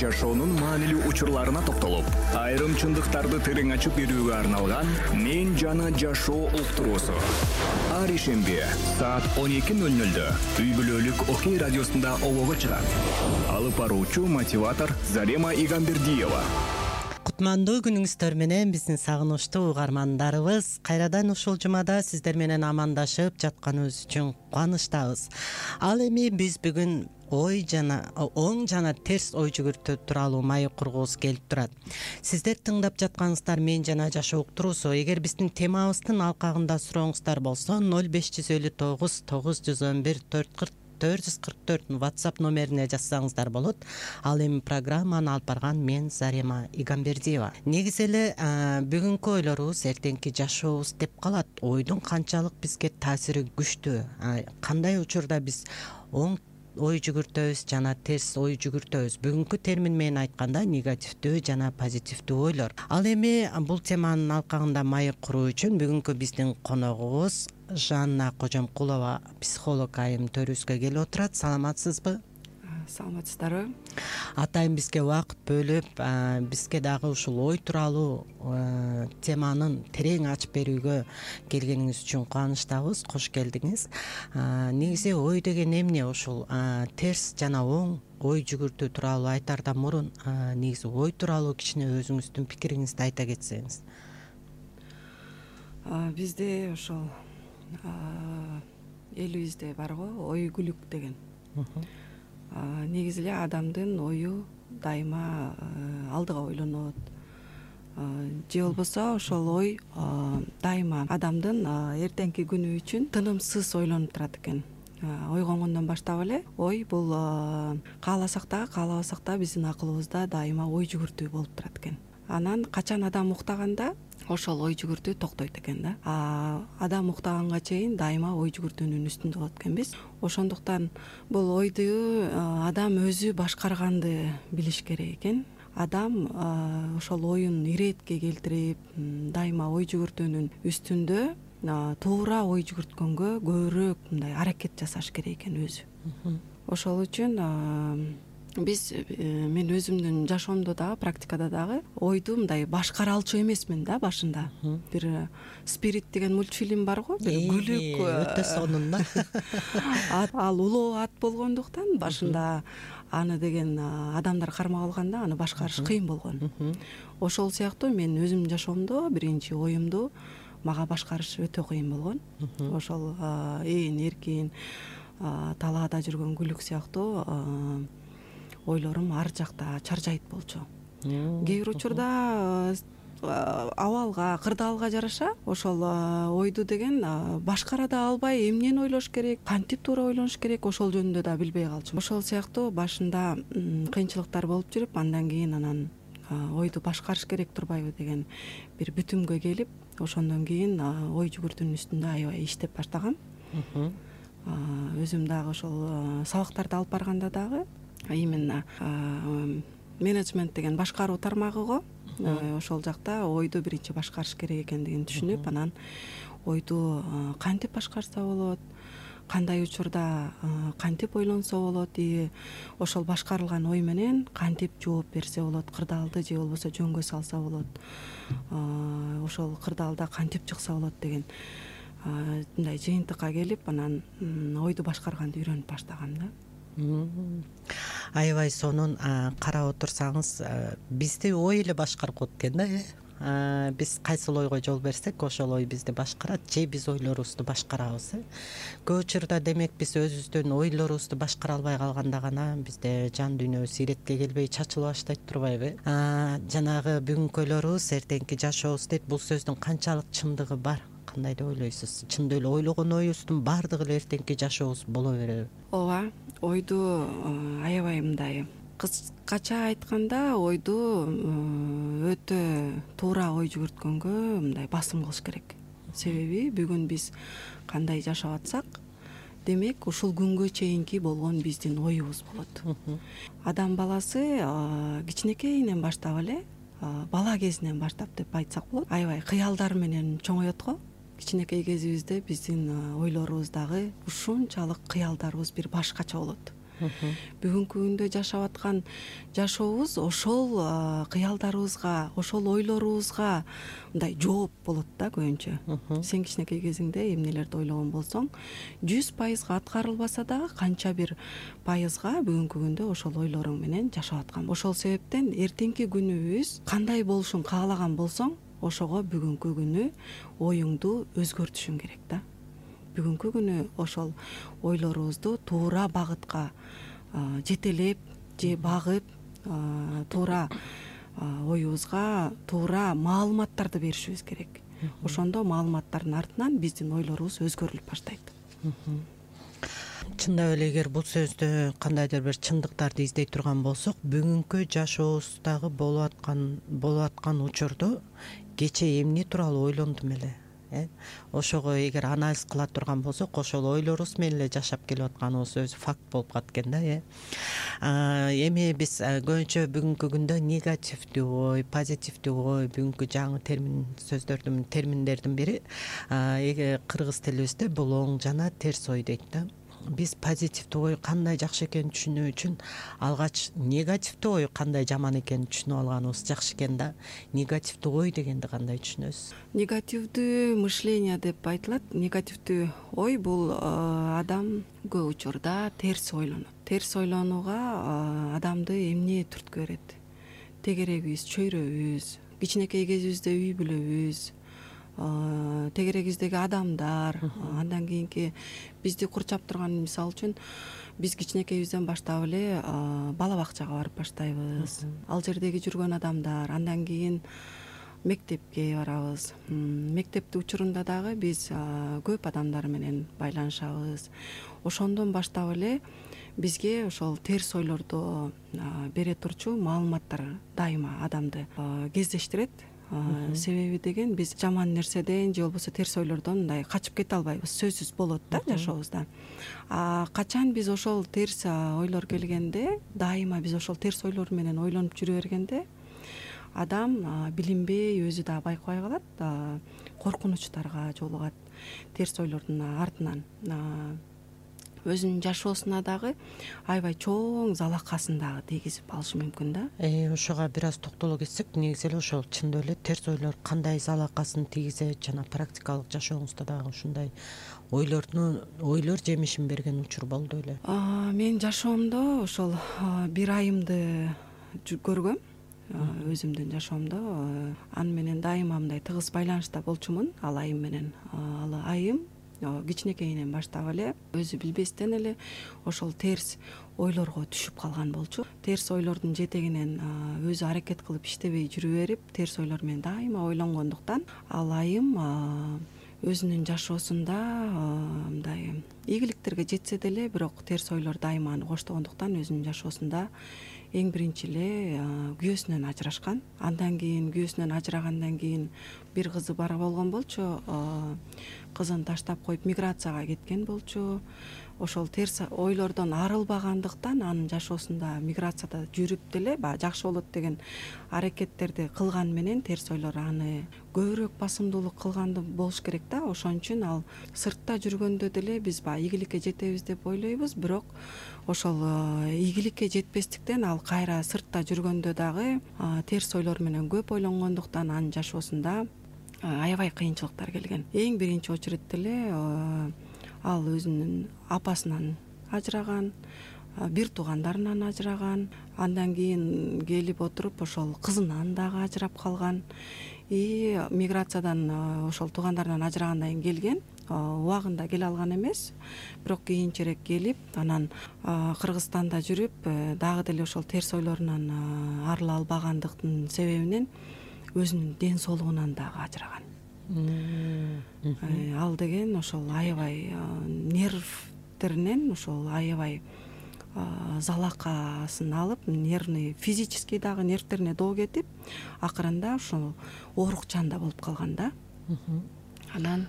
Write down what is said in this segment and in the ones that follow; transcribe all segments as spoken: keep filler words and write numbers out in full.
жашоонун маанилүү учурларына токтолуп, айрым чындыктарды терең ачып берүүгө арналган «Мен жана жашоо» уктуруусу. Ар ишемби саат он эки ноль нольдө үй бүлөлүк Окей радиосунда обого чыгат. Алып баруучу мотиватор Зарема Игамбердиева. Кутмандуу күнүңүздөр менен биздин сагынычтуу угармандарыбыз, кайрадан ушул жумада сиздер менен амандашып жатканыбыз үчүн кубанычтабыз. Ал эми биз бүгүн ой жана оң жана терс ой жүгүртүү тууралуу маек кургубуз келип турат. Сиздер тыңдап жатканыңыздар Мен жана жашоо уктуруусу. Эгер биздин темабыздын алкагында сурооңуздар болсо ноль беш жүз элүү тогуз тогуз жүз он бир төрт кырк төрт жүз кырк төрт WhatsApp номерине жазсаңыздар болот. Ал эми программаны алып барган мен Зарема Игамбердиева. Негизи эле бүгүнкү ойлорубуз эртеңки жашообуз деп калат. Ойдун канчалык бизге таасири күчтүү, кандай учурда биз оң ой жүгүртөбүз жана терс ой жүгүртөбүз. Бүгүнкү термин менен айтканда негативдүү жана позитивдүү ойлор. Ал эми бул теманын алкагында маек куруу үчүн бүгүнкү биздин коногубуз Жанна Кожомкулова, психолог айым төрүбүзгө келип отурат. Саламатсызбы? Саламатсыздарбы? Атайын бизге убакыт бөлүп, бизге дагы ушул ой тууралуу теманын терең ачып берүүгө келгениңиз үчүн кубанычтабыз. Кош келдиңиз. Негизи ой деген эмне? Ушул терс жана оң ой жүгүртүү тууралуу айтаардан мурун негизи ой тууралуу кичине өзүңүздүн пикириңизди айта кетсеңиз. Бизде ошол элибизде бар го ойгүлүк деген. Негизи эле адамдын ою дайыма алдыга ойлонот. Же болбосо ошол ой дайыма адамдын эртеңки күнү үчүн тынымсыз ойлонуп турат экен. Ойгонгондон баштап эле ой бул кааласак дагы каалабасак да биздин акылыбызда дайыма ой жүгүртүү болуп турат экен. Анан качан адам уктаганда ошол ой жүгүртүү токтойт экен да. Адам уктаганга чейин дайыма ой жүгүртүүнүн үстүндө болот экенбиз. Ошондуктан бул ойду адам өзү башкарганды билиш керек экен. Адам ошол оюн иретке келтирип, дайыма ой жүгүртүүнүн үстүндө туура ой жүгүрткөнгө көбүрөөк мындай аракет жасаш керек экен өзү. Ошол үчүн биз мен өзүмдүн жашоомдо дагы практикада дагы ойду мындай башкара алчу эмесмин да башында. Бир Спирит деген мультфильм бар го, бир күлүк өтө сонун да. Ал улуу ат болгондуктан башында аны деген адамдар кармап алганда аны башкарыш кыйын болгон. Ошол сыяктуу мен өзүмдүн жашоомдо биринчи оюмду мага башкарыш өтө кыйын болгон. Ошол ээн эркин талаада жүргөн күлүк сыяктуу ойлорум ар жакта чаржайт болчу. Кээ бир учурда абалга, кырдаалга жараша ошол ойду деген башкара да албай, эмнени ойлош керек, кантип туура ойлош керек, ошол жөнүндө да билбей калчумун. Ошол сыяктуу башында кыйынчылыктар болуп жүрүп, андан кийин анан ойду башкарыш керек турбайбы деген бир бүтүмгө келип, ошондон кийин ой жүгүртүүнүн үстүндө аябай иштеп баштагам. Өзүм дагы ошол сабактарды алып барганда дагы именно менеджмент деген башкаруу тармагы го. Ошол жакта ойду биринчи башкарыш керек экендигин түшүнүп, анан ойду кантип башкарса болот, кандай учурда кантип ойлонсо болот, и ошол башкарылган ой менен кантип жооп берсе болот, кырдаалды же болбосо жөнгө салса болот, ошол кырдаалда кантип чыкса болот деген мындай жыйынтыкка келип, анан ойду башкарганды үйрөнүп баштагам да. Аябай сонун карап отурсаңыз, бизди ой эле башкарып коет экен да. Биз кайсыл ойго жол берсек, ошол ой бизди башкарат, же биз ойлорубузду башкарабыз. Көп учурда демек биз өзүбүздүн ойлорубузду башкара албай калганда гана бизде жан дүйнөбүз иретке келбей чачыла баштайт турбайбы? Жанагы бүгүнкү ойлорубуз эртеңки жашообуз дейт. Бул сөздүн канчалык чындыгы бар? Кандай деп ойлойсуз? Чындап эле ойлогон оюбуздун баардыгы эле эртеңки жашообуз боло береби? Ооба, ойду аябай мындай кыскача айтканда ойду өтө туура ой жүгүрткөнгө мындай басым кылыш керек. Себеби бүгүн биз кандай жашап атсак, демек ушул күнгө чейинки болгон биздин оюбуз болот. Адам баласы кичинекейинен баштап эле, бала кезинен баштап деп айтсак болот, аябай кыялдар менен чоңоет го. Кичинекей кезибизде биздин ойлорубуз дагы ушунчалык кыялдарыбыз бир башкача болот. бүгүнкү күндө жашап аткан жашообуз ошол кыялдарыбызга, ошол ойлорубузга мындай жооп болот да көбүнчө. Сен кичинекей кезиңде эмнелерди ойлогон болсоң, жүз пайызга аткарылбаса дагы канча бир пайызга бүгүнкү күндө ошол ойлоруң менен жашап аткан. Ошол себептен эртеңки күнүбүз кандай болушун каалаган болсоң, ошого бүгүнкү күнү оюңду өзгөртүшүң керек да. Бүгүнкү күнү ошол ойлорубузду туура багытка жетелеп же багып, туура оюбузга туура маалыматтарды беришибиз керек. Ошондо маалыматтардын артынан биздин ойлорубуз өзгөрүлүп баштайт. Чындап эле эгер бул сөздө кандайдыр бир чындыктарды издей турган болсок, бүгүнкү жашообуздагы болуп аткан болуп аткан учурду кечээ эмне тууралуу ойлондум эле, э ошого эгер анализ кыла турган болсок, ошол ойлорубуз менен эле жашап келип атканыбыз өзү факт болуп калат экен да, э эми биз көбүнчө бүгүнкү күндө негативдүү ой, позитивдүү ой, бүгүнкү жаңы термин сөздөрдүн терминдердин бири кыргыз тилибизде бул оң жана терс ой дейт да. Биз позитивдүү ой кандай жакшы экенин түшүнүү үчүн алгач негативдүү ой кандай жаман экенин түшүнүп алганыбыз жакшы экен да. Негативдүү ой дегенди кандай түшүнөсүз? Негативдүү мышление деп айтылат. Негативдүү ой бул адам көп учурда терс ойлонот. Терс ойлонууга адамды эмне түрткү берет? Тегерегибиз, чөйрөбүз, кичинекей кезибизде үй бүлөбүз, тегерегибиздеги адамдар, андан кийинки бизди курчап турган, мисалы үчүн биз кичинекейибизден баштап эле бала бакчага барып баштайбыз. Ал жердеги жүргөн адамдар, андан кийин мектепке барабыз. Мектепти учурунда дагы биз көп адамдар менен байланышабыз. Ошондон баштап эле бизге ошол терс ойлорду бере турчу маалыматтар дайыма адамды кездештирет. Себеби деген биз жаман нерседен же болбосо терс ойлордон мындай качып кете албайбыз, сөзсүз болот да жашообузда. А качан биз ошол терс ойлор келгенде, дайыма биз ошол терс ойлор менен ойлонуп жүрө бергенде, адам билинбей өзү да байкабай калат, коркунучтарга жолугат терс ойлордун артынан. Өзүнүн жашоосуна дагы аябай чоң залакасын дагы тийгизип алышы мүмкүн да. Э ошого бир аз токтоло кетсек, негизи эле ошол чындап эле терс ойлор кандай залакасын тийгизет жана практикалык жашооңузда дагы ушундай ойлордун ойлор жемишин берген учур болду эле? Мен жашоомдо ошол бир айымды көргөм. Өзүмдүн жашоомдо аны менен дайыма мындай тыгыз байланышта болчумун ал айым менен. Ал айым кичинекейинен баштап эле өзү билбестен эле ошол терс ойлорго түшүп калган болчу. Терс ойлордун жетегинен өзү аракет кылып иштебей жүрүп берип, терс ойлор менен дайыма ойлонгондуктан ал айым өзүнүн жашоосунда мындай ийгиликтерге жетсе деле, бирок терс ойлор дайыма аны коштогондуктан өзүнүн жашоосунда эң биринчи эле күйөөсүнөн ажырашкан. Андан кийин күйөөсүнөн ажырагандан кийин бир кызы бар болгон болчу. Кызын таштап коюп миграцияга кеткен болчу. Ошол терс ойлордон арылбагандыктан анын жашоосунда миграцияда жүрүп деле баягы жакшы болот деген аракеттерди кылган менен терс ойлор аны көбүрөөк басымдуулук кылганды болуш керек да. Ошон үчүн ал сыртта жүргөндө деле биз баягы ийгиликке жетебиз деп ойлойбуз, бирок ошол ийгиликке жетпестиктен ал кайра сыртта жүргөндө дагы терс ойлор менен көп ойлонгондуктан анын жашоосунда аябай кыйынчылыктар келген. Эң биринчи очередте эле ал өзүнүн апасынан ажыраган, бир туугандарынан ажыраган, андан кийин келип отуруп ошол кызынан дагы ажырап калган. И миграциядан ошол туугандарынан ажырагандан кийин келген, убагында келе алган эмес, бирок кийинчерээк келип, анан Кыргызстанда жүрүп, дагы деле ошол терс ойлорунан арыла албагандыктын себебинен өзүнүн ден соолугунан дагы ажыраган. Ал деген ошол аябай нервтеринен ошол аябай залакасын алып, нервный, физический дагы нервтерине доо кетип, акырында ошол оорукчан болуп калган да. Анан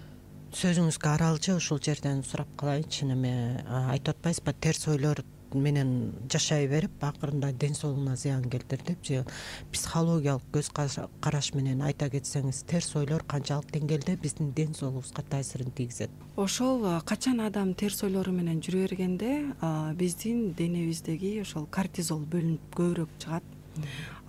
сөзүңүзгө аралчы ушул жерден сурап калайынчы, неме айтып атпайсызбы, терс ойлор менен жашай берип акырында ден соолугуна зыян келтирдип же психологиялык көз караш менен айта кетсеңиз, терс ойлор канчалык деңгээлде биздин ден соолугубузга таасирин тийгизет? Ошол качан адам терс ойлору менен жүрө бергенде биздин денебиздеги ошол кортизол бөлүнүп көбүрөөк чыгат.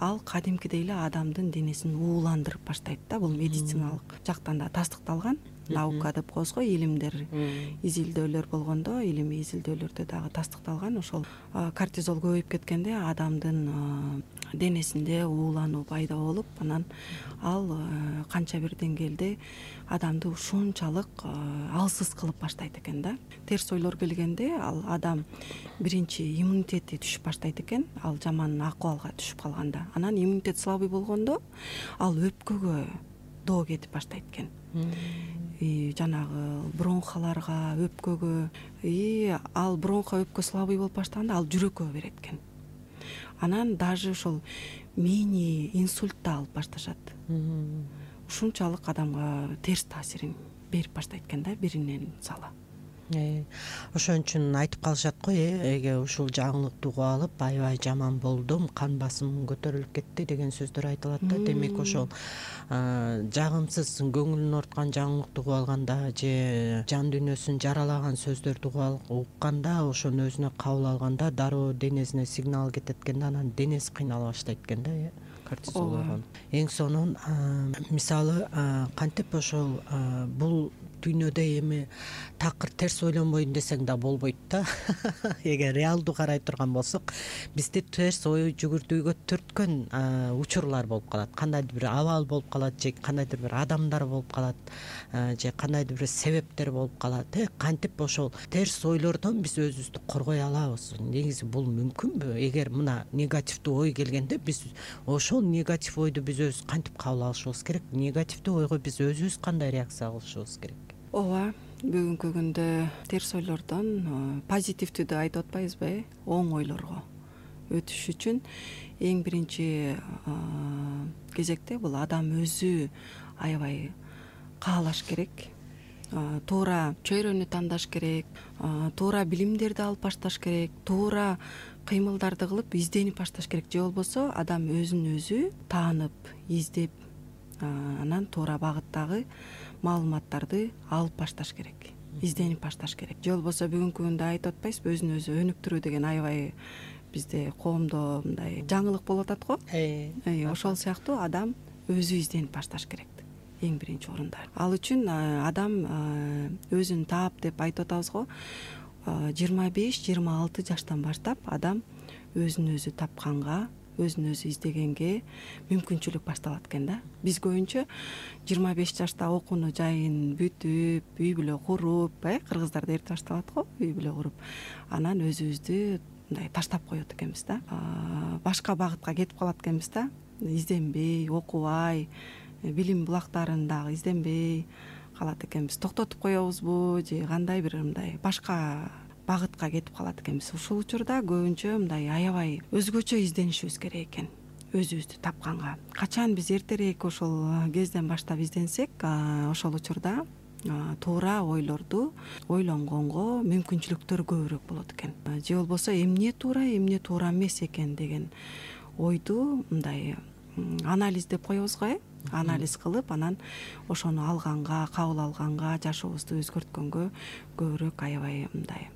Ал кадимкидей эле адамдын денесин ууландырып баштайт да. Бул медициналык жактан да тастыкталган. Наука деп коебуз го, илимдер, изилдөөлөр болгондо, илимий изилдөөлөрдө дагы тастыкталган. Ошол кортизол көбөйүп кеткенде адамдын денесинде уулануу пайда болуп, анан ал канча бир деңгээлде адамды ушунчалык алсыз кылып баштайт экен да. Терс ойлор келгенде ал адам биринчи иммунитети түшүп баштайт экен, ал жаман акыбалга түшүп калганда. Анан иммунитет слабый болгондо ал өпкөгө доо кетип баштайт экен. И жанагы бронхаларга, өпкөгө, и ал бронхо өпкө слабый болуп баштаганда ал жүрөккө берет экен. Анан даже ошол мини инсульт да алып башташат. Ушунчалык адамга терс таасирин берип баштайт экен да, биринен сала. Ошон үчүн айтып калышат го, эге ушул жаңылыкты угуп алып, аябай жаман болдум, кан басымым көтөрүлүп кетти деген сөздөр айтылат да. Демек ошол жагымсыз көңүлүн орткан жаңылыкты угуп алганда же жан дүйнөсүн жаралаган сөздөрдү угуп укканда, ошону өзүнө кабыл алганда дароо денесине сигнал кетет экен да, анан денеси кыйнала баштайт экен да, э кортизол болгон. Эң сонун мисалы кантип ошол бул дүйнөдө эми такыр терс ойлонбойн десең да болбойт да. Эгер реалдуу карай турган болсок, бизди терс ой жүгүртүүгө түрткөн учурлар болуп калат. Кандайдыр бир абал болуп калат, же кандайдыр бир адамдар болуп калат, же кандайдыр бир себептер болуп калат. Кантип ошол терс ойлордон биз өзүбүздү коргой алабыз? Негизи бул мүмкүнбү? Эгер мына негативдүү ой келгенде биз ошол негатив ойду биз өзүбүз кантип кабыл алышыбыз керек? Негативдүү ойго биз өзүбүз кандай реакция кылышыбыз керек? Ооба, бүгүнкү күндө терс ойлордон позитивдүүдү айтып атпайбызбы, оң ойлорго өтүш үчүн эң биринчи кезекте бул адам өзү аябай каалаш керек, туура чөйрөнү тандаш керек, туура билимдерди алып башташ керек, туура кыймылдарды кылып изденип башташ керек. Же болбосо адам өзүн өзү таанып, издеп, анан туура багыттагы маалыматтарды алып башташ керек, изденип башташ керек. Же болбосо бүгүнкү күндө айтып атпайсызбы, өзүн өзү өнүктүрүү деген аябай бизде коомдо мындай жаңылык болуп атат го. Ошол сыяктуу адам өзү изденип башташ керек эң биринчи орунда. Ал үчүн адам өзүн таап деп айтып атабыз го, жыйырма беш жыйырма алты жаштан баштап адам өзүн өзү тапканга, өзүн өзү издегенге мүмкүнчүлүк башталат экен да. Биз көбүнчө жыйырма беш жашта окууну жайын бүтүп, үй бүлө куруп, э кыргыздарда эрте башталат го, үй бүлө куруп, анан өзүбүздү мындай таштап коет экенбиз да. Башка багытка кетип калат экенбиз да. Изденбей, окубай, билим булактарын дагы изденбей калат экенбиз. Токтотуп коебузбу же кандай бир мындай башка багытка кетип калат экенбиз. Ушул учурда көбүнчө мындай аябай өзгөчө изденишибиз керек экен, өзүбүздү тапканга. Качан биз эртерээк ошол кезден баштап изденсек, ошол учурда туура ойлорду ойлонгонго мүмкүнчүлүктөр көбүрөөк болот экен. Же болбосо эмне туура, эмне туура эмес экен деген ойду мындай анализ деп коебуз го, э анализ кылып, анан ошону алганга, кабыл алганга, жашообузду өзгөрткөнгө көбүрөөк аябай мындай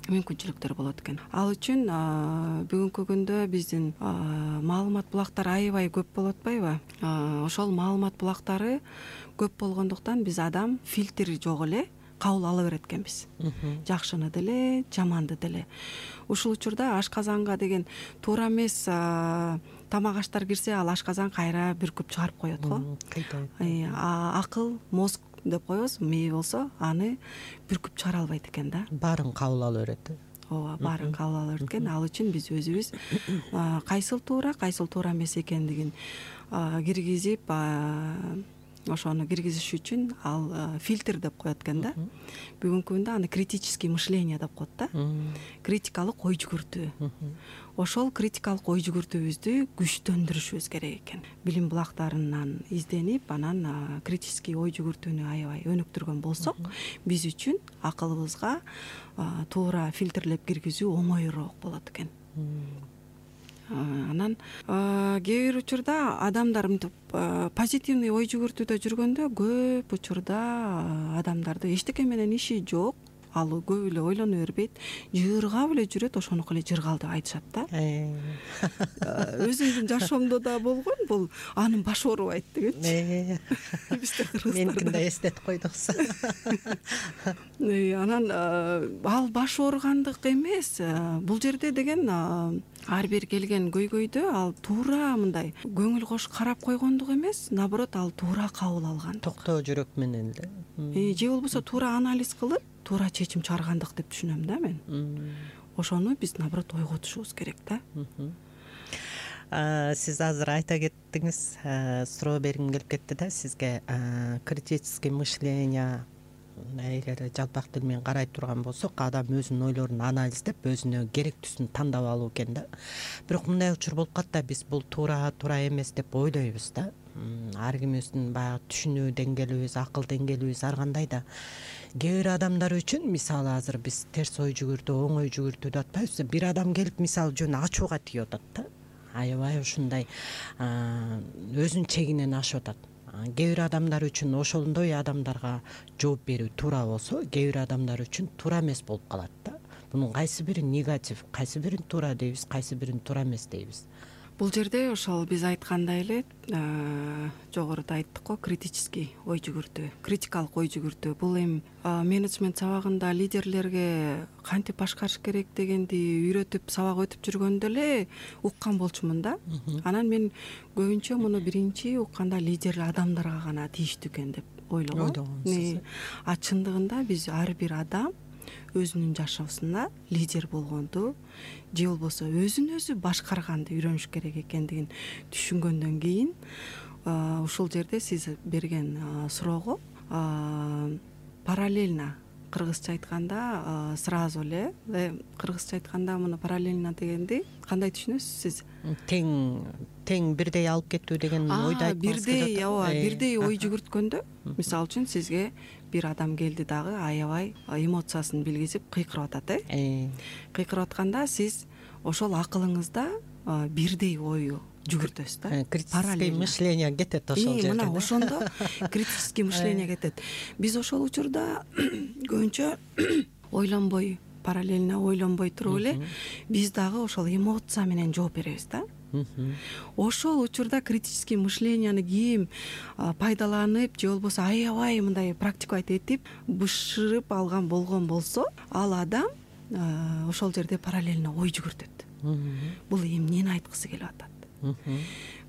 мүмкүнчүлүктөр болот экен. Ал үчүн бүгүнкү күндө биздин маалымат булактары аябай көп болуп атпайбы? Ошол маалымат булактары көп болгондуктан биз адам фильтри жок эле кабыл ала берет экенбиз. Жакшыны деле, жаманды деле. Ушул учурда ашказанга деген туура эмес тамак аштар кирсе, ал ашказан кайра бүркүп чыгарып коет го. Акыл, мозг деп коебуз, мээ болсо аны бүркүп чыгара албайт экен да. Баарын кабыл ала берет. Ооба, баарын кабыл ала берет экен. Ал үчүн биз өзүбүз кайсыл туура, кайсыл туура эмес экендигин киргизип, ошону киргизиш үчүн ал фильтр деп коет экен да. Бүгүнкү күндө аны критический мышление деп коет да. Критикалык ой жүгүртүү. Ошол критикалык ой жүгүртүүбүздү күчтөндүрүшүбүз керек экен. Билим булактарынан изденип, анан критический ой жүгүртүүнү аябай өнүктүргөн болсок, биз үчүн акылыбызга туура фильтрлеп киргизүү оңоюраак болот экен. Анан кээ бир учурда адамдар мынтип позитивный ой жүгүртүүдө жүргөндө көп учурда адамдарды эчтеке менен иши жок, ал көп эле ойлоно бербейт, жыргап эле жүрөт, ошонуку эле жыргал деп айтышат да. Өзүмдүн жашоомдо да болгон, бул анын башы оорубайт дегенчи. Бизде кыргыздарда меникин да эстетип койдуксу. Анан ал баш ооругандык эмес, бул жерде деген ар бир келген көйгөйдө ал туура мындай көңүл кош карап койгондук эмес, наоборот ал туура кабыл алган. Токтоо жүрөк менен эле. Же болбосо туура анализ кылып, туура чечим чыгаргандык деп түшүнөм да мен. Ошону биз наоборот ойготушубуз керек да. Сиз азыр айта кеттиңиз, суроо бергим келип кетти да сизге. Критический мышление эгер жалпак тил менен карай турган болсок, адам өзүнүн ойлорун анализдеп, өзүнө керектүүсүн тандап алуу экен да. Бирок мындай учур болуп калат да, биз бул туура туура эмес деп ойлойбуз да. Ар кимибиздин баягы түшүнүү деңгээлибиз, акыл деңгээлибиз ар кандай да. Кээ бир адамдар үчүн, мисалы азыр биз терс ой жүгүртүү, оң ой жүгүртүү деп атпайбызбы? Бир адам келип, мисалы жөн ачууга тийип атат да. Аябай ушундай өзүнүн чегинен ашып атат. Кээ бир адамдар үчүн ошондой адамдарга жооп берүү туура болсо, кээ бир адамдар үчүн туура эмес болуп калат да. Бунун кайсы бири негатив, кайсы бирин туура дейбиз, кайсы бирин туура эмес дейбиз. Бул жерде ошол биз айткандай эле, жогоруда айттык го, критический ой жүгүртүү, критикалык ой жүгүртүү. Бул эми менеджмент сабагында лидерлерге кантип башкарыш керек дегенди үйрөтүп, сабак өтүп жүргөндө эле уккан болчумун да. Анан мен көбүнчө муну биринчи укканда лидер адамдарга гана тийиштүү экен деп ойлогом. А чындыгында биз ар бир адам өзүнүн жашоосунда лидер болгонду, же болбосо өзүн өзү башкарганды үйрөнүш керек экендигин түшүнгөндөн кийин, ушул жерде сиз берген суроого параллельно, кыргызча айтканда сразу эле, кыргызча айтканда муну параллельно дегенди кандай түшүнөсүз сиз? Тең тең бирдей алып кетүү деген ойду айтмаңыз келип атат. Бирдей, ооба, бирдей ой жүгүрткөндө, мисалы үчүн сизге бир адам келди дагы аябай эмоциясын билгизип кыйкырып атат, э? Кыйкырып атканда сиз ошол акылыңызда бирдей ою жүгүртөсүз да. Критический мышление кетет ошол жерде. Мына ошондо критический мышление кетет. Биз ошол учурда көбүнчө ойлонбой, параллельно ойлонбой туруп эле биз дагы ошол эмоция менен жооп беребиз да. Ошол учурда критический мышленияны ким пайдаланып, же болбосо аябай мындай практиковать этип, бышырып алган болгон болсо, ал адам ошол жерде параллельно ой жүгүртөт. Бул эмнени айткысы келип атат?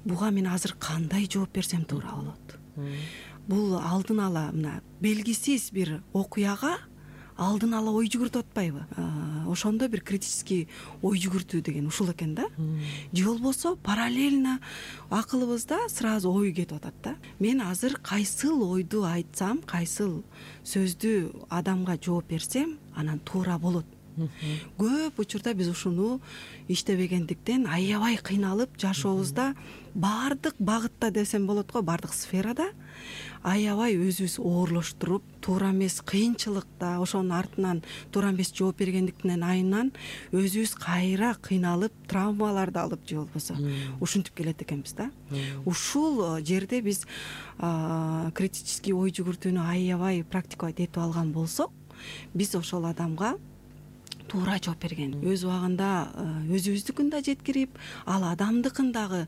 Буга мен азыр кандай жооп берсем туура болот? Бул алдын ала мына белгисиз бир окуяга алдын ала ой жүгүртүп атпайбы? Ошондо бир критический ой жүгүртүү деген ушул экен да. Же болбосо параллельно акылыбызда сразу ой кетип атат да. Мен азыр кайсыл ойду айтсам, кайсыл сөздү адамга жооп берсем, анан туура болот. Көп учурда биз ушуну иштебегендиктен аябай кыйналып, жашообузда баардык багытта десем болот го, баардык сферада аябай өзүбүз оорлоштуруп, туура эмес кыйынчылыкта, ошонун артынан туура эмес жооп бергендиктен айынан өзүбүз кайра кыйналып, травмаларды алып, же болбосо ушинтип келет экенбиз да. Ушул жерде биз критический ой жүгүртүүнү аябай практиковать этип алган болсок, биз ошол адамга туура жооп берген, өз убагында өзүбүздүкүн да жеткирип, ал адамдыкын дагы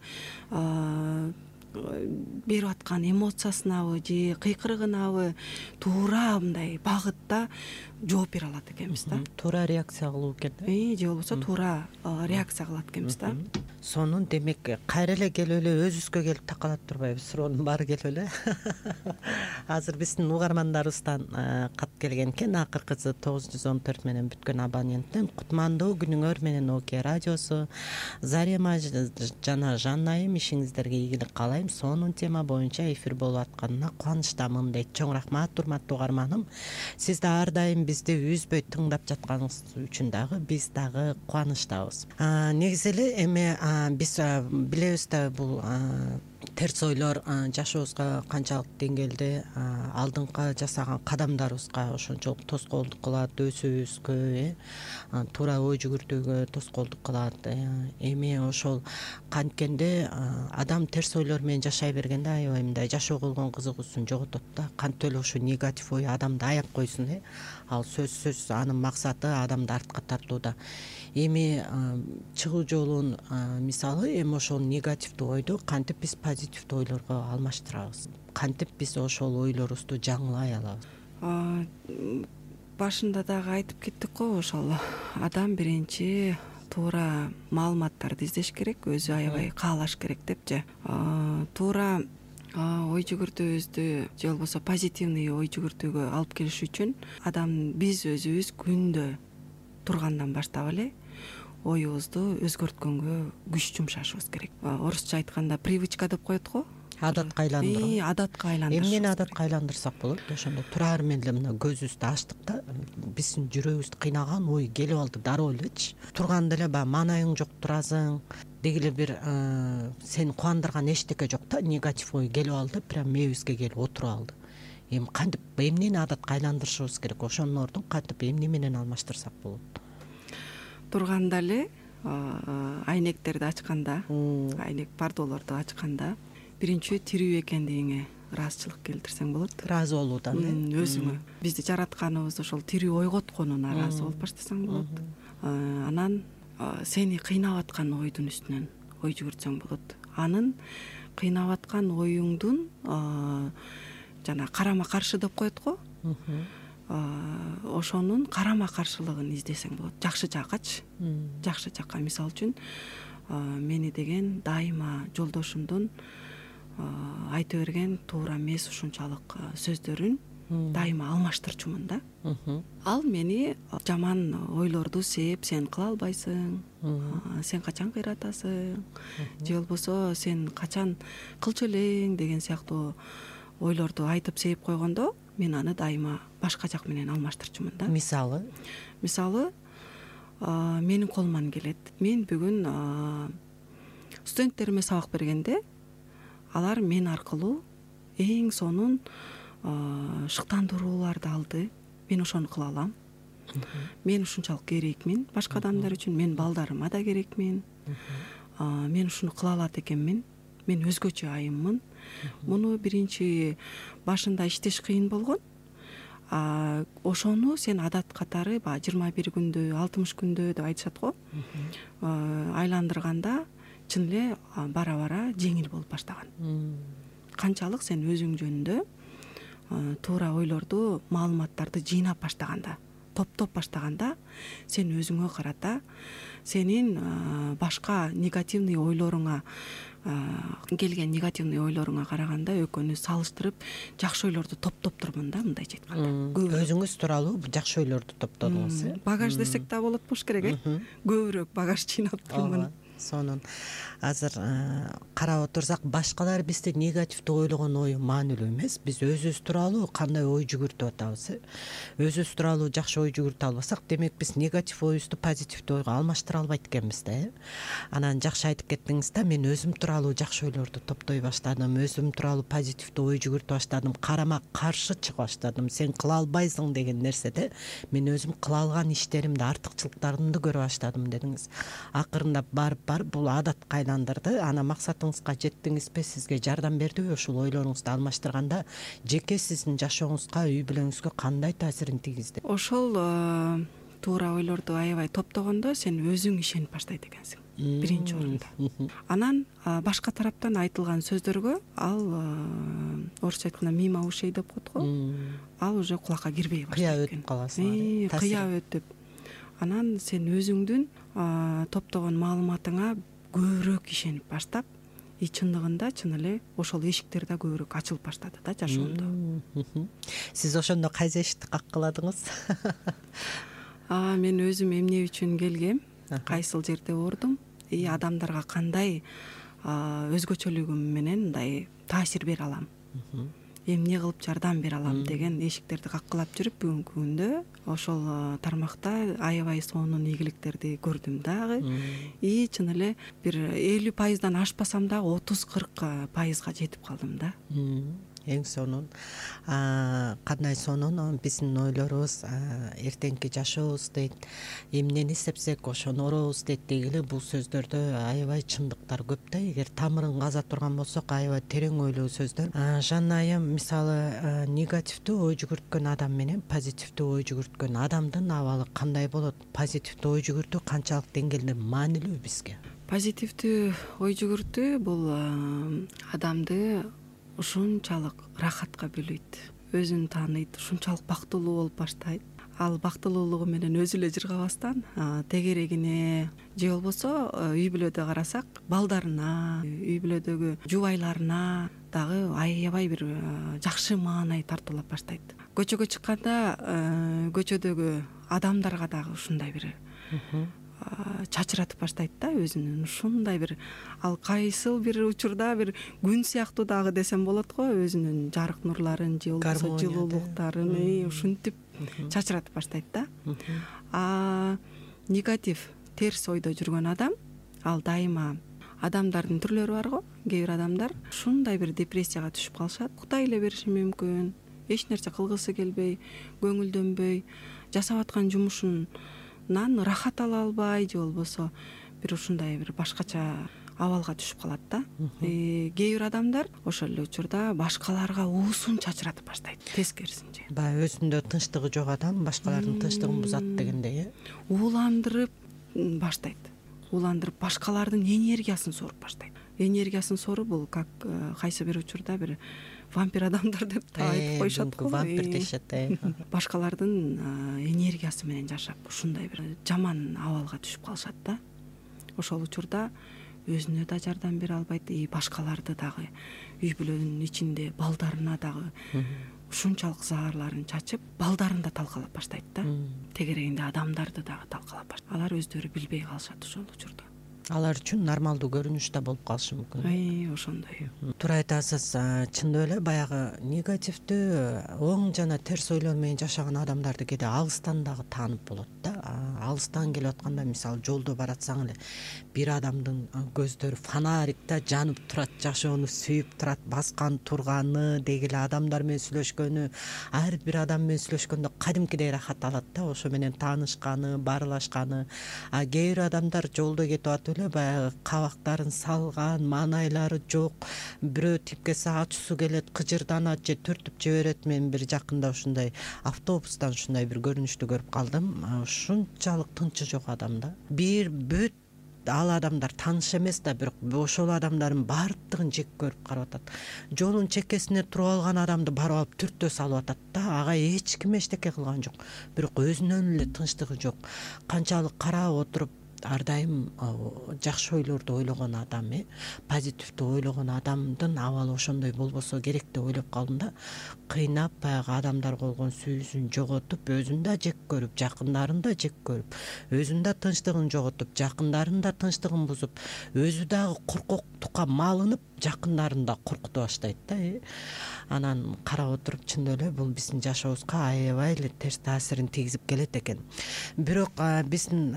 берип аткан эмоциясынабы же кыйкырыгынабы туура мындай багытта жооп бере алат экенбиз да. Туура реакция кылуу экен да. Же болбосо туура реакция кылат экенбиз да. Сонун демек кайра эле келип эле өзүбүзгө келип такалат турбайбыз, суроонун баары келип эле. Азыр биздин угармандарыбыздан кат келген экен, акыркысы тогуз жүз он төрт менен бүткөн абоненттен. Кутмандуу күнүңөр менен Оке радиосу. Зарема жана Жанайым, ишиңиздерге ийгилик каалайм. айым сонун тема боюнча эфир болуп атканына кубанычтамын дейт. Чоң рахмат урматтуу угарманым. Сиз да ар дайым бизди үзбөй тыңдап жатканыңыз үчүн дагы биз дагы кубанычтабыз. Негизи эле эми биз билебиз да бул терс ойлор жашообузга канчалык деңгээлде алдыңкы жасаган кадамдарыбызга ошончолук тоскоолдук кылат, өсүүбүзгө, э туура ой жүгүртүүгө тоскоолдук кылат. Эми ошол канткенде адам терс ойлор менен жашай бергенде аябай мындай жашоого болгон кызыгуусун жоготот да. Кантип эле ошо негатив ой адамды аяп койсун, э ал сөзсүз анын максаты адамды артка тартууда. Эми чыгуу жолун мисалы эми ошол негативдүү ойду кантип биз позитивдүү ойлорго алмаштырабыз, кантип биз ошол ойлорубузду жаңылай алабыз? Башында дагы айтып кеттик го, ошол адам биринчи туура маалыматтарды издеш керек, өзү аябай каалаш керек депчи. Туура ой жүгүртүүбүздү же болбосо позитивный ой жүгүртүүгө алып келиш үчүн адам биз өзүбүз күндө тургандан баштап эле оюбузду өзгөрткөнгө күч жумшашыбыз керек. Орусча айтканда привычка деп коет го. Адатка айландыруу. Адатка айландыруу. Эмнени адатка айландырсак болот? Ошондо турар менен эле мына көзүбүздү ачтык да, биздин жүрөгүбүздү кыйнаган ой келип алды дароо элечи. Турганда эле баягы маанайың жок турасың, деги эле бир сени кубандырган эчтеке жок да, негатив ой келип алды, прям мээбизге келип отуруп алды. Эми кантип эмнени адатка айландырышыбыз керек? Ошонун ордун кантип эмне менен алмаштырсак болот? Турганда эле айнектерди ачканда, айнек пардолорду ачканда биринчи тирүү экендигиңе ыраазычылык келтирсең болот. Ыраазы болуудан, э? Өзүңө. Бизди жаратканыбыз ошол тирүү ойготконуна ыраазы болуп баштасаң болот. Анан сени кыйнап аткан ойдун үстүнөн ой жүгүртсөң болот. Анын кыйнап аткан оюңдун жана карама каршы деп коет го. Ошонун карама каршылыгын издесең болот. Жакшы жаккачы. Жакшы жакка, мисалы үчүн мени деген дайыма жолдошумдун айта берген туура эмес ушунчалык сөздөрүн дайыма алмаштырчумун да. Ал мени жаман ойлорду сээп, сен кыла албайсың, сен качан кыйратасың, же болбосо сен качан кылчу элең деген сыяктуу ойлорду айтып сээп койгондо, мен аны дайыма башка жак менен алмаштырчумун да. Мисалы? Мисалы, менин колуман келет. Мен бүгүн студенттериме сабак бергенде, алар мен аркылуу эң сонун шыктандырууларды алды. Мен ошону кыла алам. Мен ушунчалык керекмин башка адамдар үчүн, мен балдарыма да керекмин. Мен ушуну кыла алат экенмин. Мен өзгөчө айыммын. Муну биринчи башында иштеш кыйын болгон. Ошону сен адат катары баягы жыйырма бир күндө, алтымыш күндө деп айтышат го. Айландырганда чын эле бара-бара жеңил болуп баштаган. Канчалык сен өзүң жөнүндө туура ойлорду, маалыматтарды жыйнап баштаганда, топтоп баштаганда, сен өзүңө карата сенин башка негативный ойлоруңа келген негативный ойлоруңа караганда экөөнү салыштырып жакшы ойлорду топтоп турмун да, мындайча айтканда. Өзүңүз тууралуу жакшы ойлорду топтодуңуз, э? Багаж десек да болот болуш керек, э? Көбүрөөк багаж жыйнап турмун. Сонун. Азыр карап отурсак, башкалар бизди негативдүү ойлогон ою маанилүү эмес. Биз өзүбүз тууралуу кандай ой жүгүртүп атабыз, э? Өзүбүз тууралуу жакшы ой жүгүртө албасак, демек биз негатив ойубузду позитивдүү ойго алмаштыра албайт экенбиз да, э? Анан жакшы айтып кеттиңиз да, мен өзүм тууралуу жакшы ойлорду топтой баштадым, өзүм тууралуу позитивдүү ой жүгүртүп баштадым, карама каршы чыга баштадым. Сен кыла албайсың деген нерседе мен өзүм кыла алган иштеримди, артыкчылыктарымды көрө баштадым дедиңиз. Акырындап барып барып бул адатка айландырды. Ана максатыңызга жеттиңизби? Сизге жардам бердиби ушул ойлоруңузду алмаштырганда? Жеке сиздин жашооңузга, үй бүлөңүзгө кандай таасирин тийгизди? Ошол туура ойлорду аябай топтогондо сен өзүң ишенип баштайт экенсиң биринчи орунда. Анан башка тараптан айтылган сөздөргө ал орусча айтканда мимо ушей деп коет го. Ал уже кулакка кирбей баштайт экен. Кыя өтүп каласың. Кыя өтүп. Анан сен өзүңдүн топтогон маалыматыңа көбүрөөк ишенип баштап, и чындыгында чын эле ошол эшиктер да көбүрөөк ачылып баштады да жашоомдо. Сиз ошондо кайсы эшикти каккыладыңыз? Мен өзүм эмне үчүн келгем, кайсыл жерде ордум, и адамдарга кандай өзгөчөлүгүм менен мындай таасир бере алам, эмне кылып жардам бере алам деген эшиктерди каккылап жүрүп бүгүнкү күндө ошол тармакта аябай сонун ийгиликтерди көрдүм дагы. И чын эле бир элүү пайыздан ашпасам дагы отуз кырк пайызга жетип калдым да. Эң сонун. Кандай сонун биздин ойлорубуз эртеңки жашообуз дейт, эмнени сепсек ошону оробуз дейт дегиле. Бул сөздөрдө аябай чындыктар көп да. Эгер тамырын каза турган болсок, аябай терең ойлуу сөздөр. Жанна айым, мисалы негативдүү ой жүгүрткөн адам менен позитивдүү ой жүгүрткөн адамдын абалы кандай болот? Позитивдүү ой жүгүртүү канчалык деңгээлде маанилүү бизге? Позитивдүү ой жүгүртүү бул адамды ушунчалык рахатка бөлөйт, өзүн тааныйт, ушунчалык бактылуу болуп баштайт. Ал бактылуулугу менен өзү эле жыргабастан тегерегине же болбосо үй бүлөдө карасак балдарына, үй бүлөдөгү жубайларына дагы аябай бир жакшы маанай тартуулап баштайт. Көчөгө чыкканда көчөдөгү адамдарга дагы ушундай бир чачыратып баштайт да өзүнүн. Ушундай бир ал кайсыл бир учурда бир күн сыяктуу дагы десем болот го, өзүнүн жарык нурларын же болбосо жылуулуктарын ушинтип чачыратып баштайт да. А негатив, терс ойдо жүргөн адам, ал дайыма адамдардын түрлөрү бар го. Кээ бир адамдар ушундай бир депрессияга түшүп калышат, уктай эле бериши мүмкүн, эч нерсе кылгысы келбей, көңүлдөнбөй, жасап аткан жумушун рахат ала албай же болбосо бир ушундай бир башкача абалга түшүп калат да. Кээ бир адамдар ошол эле учурда башкаларга уусун чачыратып баштайт, тескерисинче. Баягы өзүндө тынчтыгы жок адам башкалардын тынчтыгын бузат дегендей, э? Ууландырып баштайт. Ууландырып башкалардын энергиясын соруп баштайт. Энергиясын соруу бул как кайсы бир учурда бир вампир адамдар деп да айтып коюшат го. Вампир дешет, э. Башкалардын энергиясы менен жашап ушундай бир жаман абалга түшүп калышат да. Ошол учурда өзүнө да жардам бере албайт, и башкаларды дагы, үй бүлөнүн ичинде балдарына дагы ушунчалык заарларын чачып, балдарын да талкалап баштайт да. Тегерегинде адамдарды дагы талкалап баштайт. Алар өздөрү билбей калышат ошол учурда. Алар үчүн нормалдуу көрүнүш да болуп калышы мүмкүн. Ай, ошондой. Туура айтасыз. Чындап эле баягы негативдүү, оң жана терс ойлор менен жашаган адамдарды кээде алыстан дагы таанып болот да. Алыстан келип атканда, мисалы, жолдо баратсаң эле бир адамдын көздөрү фонарикте жанып турат, жашоону сүйүп турат, баскан турганы, деги эле адамдар менен сүйлөшкөнү, ар бир адам менен сүйлөшкөндө кадимкидей рахат алат да, ошо менен таанышканы, баарлашканы. А кээ бир адамдар жолдо кетип атып эле баягы кабактарын салган, маанайлары жок, бирөө тип келсе ачуусу келет, кыжырданат же түртүп жиберет. Мен бир жакында ушундай автобустан ушундай бир көрүнүштү көрүп калдым. Ушунчалык тынчы жок адамда. Бир бүт ал адамдар тааныш эмес да, бирок ошол адамдардын баардыгын жек көрүп карап атат. Жолдун чекесине туруп алган адамды барып алып түртө салып атат да. Ага эч ким эчтеке кылган жок, бирок өзүнөн эле тынчтыгы жок. Канчалык карап отуруп ар дайым жакшы ойлорду ойлогон адам, э, позитивдүү ойлогон адамдын абалы ошондой болбосо керек деп ойлоп калдым да. Кыйнап баягы адамдарга болгон сүйүүсүн жоготуп, өзүн да жек көрүп, жакындарын да жек көрүп, өзүн да тынчтыгын жоготуп, жакындарын да тынчтыгын бузуп, өзү дагы коркоктукка малынып, жакындарын да коркута баштайт да. Анан карап отуруп, чындап эле бул биздин жашообузга аябай эле терс таасирин тийгизип келет экен. Бирок биздин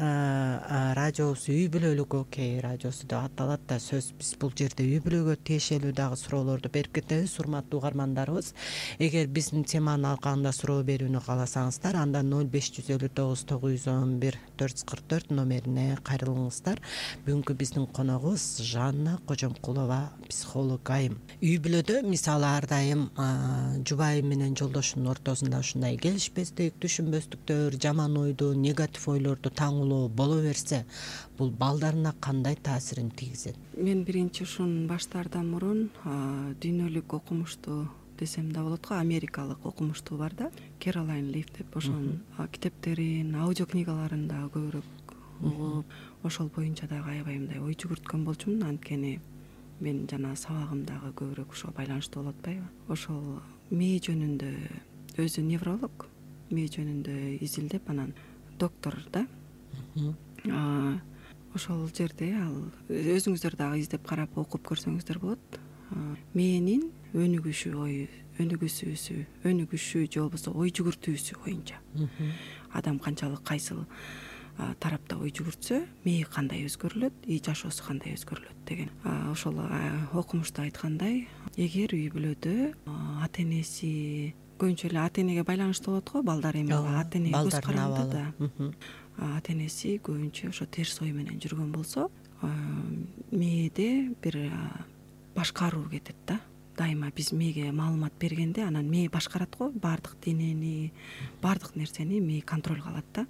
радиобуз үй бүлөлүк окей радиосу деп аталат да. Сөз биз бул жерде үй бүлөгө тиешелүү дагы суроолорду берип кетебиз, урматтуу угармандарыбыз. Эгер биздин теманын алкагында суроо берүүнү кааласаңыздар, анда ноль беш жүз элүү тогуз тогуз жүз он бир төрт жүз кырк төрт номерине кайрылыңыздар. Бүгүнкү биздин коногубуз Жанна Кожомкулова, психолог айым. Үй бүлөдө мисалы ар дайым жубайы менен жолдошунун ортосунда ушундай келишпестик, түшүнбөстүктөр, жаман ойду, негатив ойлорду таңуулоо боло берсе, бул балдарына кандай таасирин тийгизет? Мен биринчи ушун баштаардан мурун дүйнөлүк окумуштуу десем да болот го, америкалык окумуштуу бар да, Кэролайн Лиф деп, ошонун китептерин, аудио книгаларын да көбүрөөк угуп, ошол боюнча дагы аябай мындай ой жүгүрткөн болчумун. Анткени мен жана сабагым дагы көбүрөөк ошого байланыштуу болуп атпайбы. Ошол мээ жөнүндө, өзү невролог, мээ жөнүндө изилдеп, анан доктор да, ошол жерде ал өзүңүздөр дагы издеп карап окуп көрсөңүздөр болот. Мээнин өнүгүшү ою өнүгүүсү өнүгүшү же болбосо ой жүгүртүүсү боюнча адам канчалык кайсыл тарапта ой жүгүртсө мээ кандай өзгөрүлөт, ий жашоосу кандай өзгөрүлөт деген. Ошол окумушта айткандай, эгер үй бүлөдө ата энеси көбүнчө эле ата энеге байланыштуу болот го, балдар эми ата энеге көз каранды да. Ата энеси көбүнчө ошо терс ой менен жүргөн болсо, мээде бир башкаруу кетет да. Дайыма биз мээге маалымат бергенде анан мээ башкарат го, баардык денени, баардык нерсени мээ контролго алат да.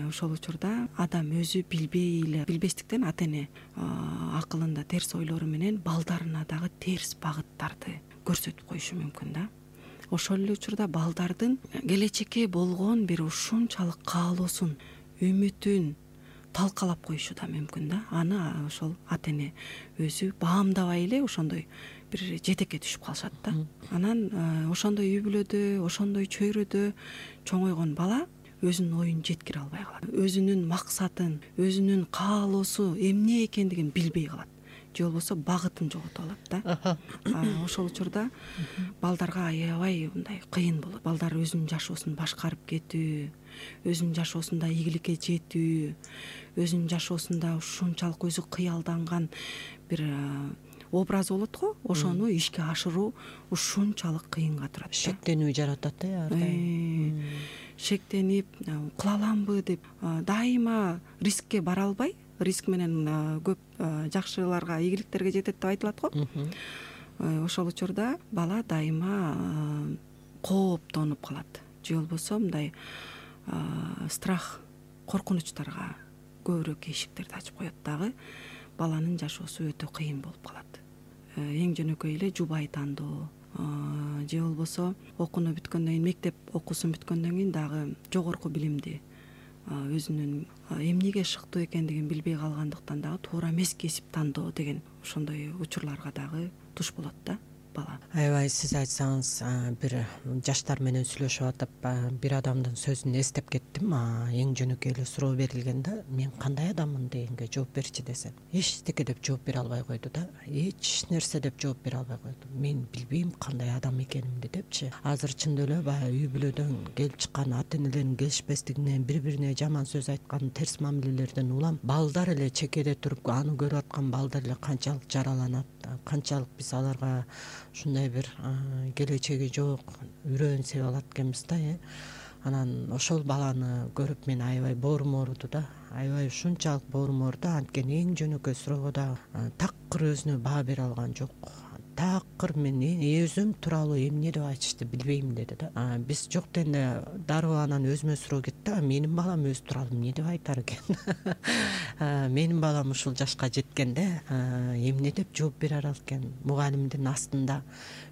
Ошол учурда адам өзү билбей эле билбестиктен ата эне акылында терс ойлору менен балдарына дагы терс багыттарды көрсөтүп коюшу мүмкүн да. Ошол эле учурда балдардын келечекке болгон бир ушунчалык каалоосун, үмүтүн талкалап коюшу да мүмкүн да. Аны ошол ата эне өзү баамдабай эле ошондой бир жетекке түшүп калышат да. Анан ошондой үй бүлөдө, ошондой чөйрөдө чоңойгон бала өзүнүн оюн жеткире албай калат. Өзүнүн максатын, өзүнүн каалоосу эмне экендигин билбей калат. Же болбосо багытын жоготуп алат да. Ошол учурда балдарга аябай мындай кыйын болот. Балдар өзүнүн жашоосун башкарып кетүү, өзүнүн жашоосунда ийгиликке жетүү, өзүнүн жашоосунда ушунчалык өзү кыялданган бир образ болот го, ошону ишке ашыруу ушунчалык кыйынга турат. Шектенүү жаратат э ар дайым. Шектенип, кыла аламбы деп дайыма рискке бара албай, риск менен көп жакшыларга, ийгиликтерге жетет деп айтылат го. Ошол учурда бала дайыма кооптонуп калат. Же болбосо мындай страх, коркунучтарга көбүрөөк эшиктерди ачып коет дагы. Баланын жашоосу өтө кыйын болуп калат. Эң жөнөкөй эле жубай тандоо, же болбосо окууну бүткөндөн кийин, мектеп окуусун бүткөндөн кийин дагы жогорку билимди, өзүнүн эмнеге шыктуу экендигин билбей калгандыктан дагы туура эмес кесип тандоо деген ошондой учурларга дагы туш болот да бала. Аябай сиз айтсаңыз, бир жаштар менен сүйлөшүп атып, бир адамдын сөзүн эстеп кеттим. Эң жөнөкөй эле суроо берилгенде, мен кандай адаммын дегенге жооп берчи десем, эчтеке деп жооп бере албай койду да. Эч нерсе деп жооп бере албай койду. Мен билбейм кандай адам экенимди депчи. Азыр чындап эле баягы үй бүлөдөн келип чыккан ата энелердин келишпестигинен, бири-бирине жаман сөз айткан, терс мамилелерден улам балдар эле чекеде туруп, аны көрүп аткан балдар эле канчалык жараланат, канчалык биз аларга ушундай бир келечеги жок үрөөн себеп алат экенбиз да. Анан ошол баланы көрүп мен аябай боорум ооруду да. Аябай ушунчалык боорум ооруду. Анткени эң жөнөкөй суроого да такыр өзүнө баа бере алган жок. Такыр мен өзүм тууралуу эмне деп айтышты билбейм деди да. Биз жок дегенде дароо анан өзүмө суроо кетти. Менин балам өзү тууралуу эмне деп айтар экен? Менин балам ушул жашка жеткенде эмне деп жооп бере алат экен? Мугалимдин астында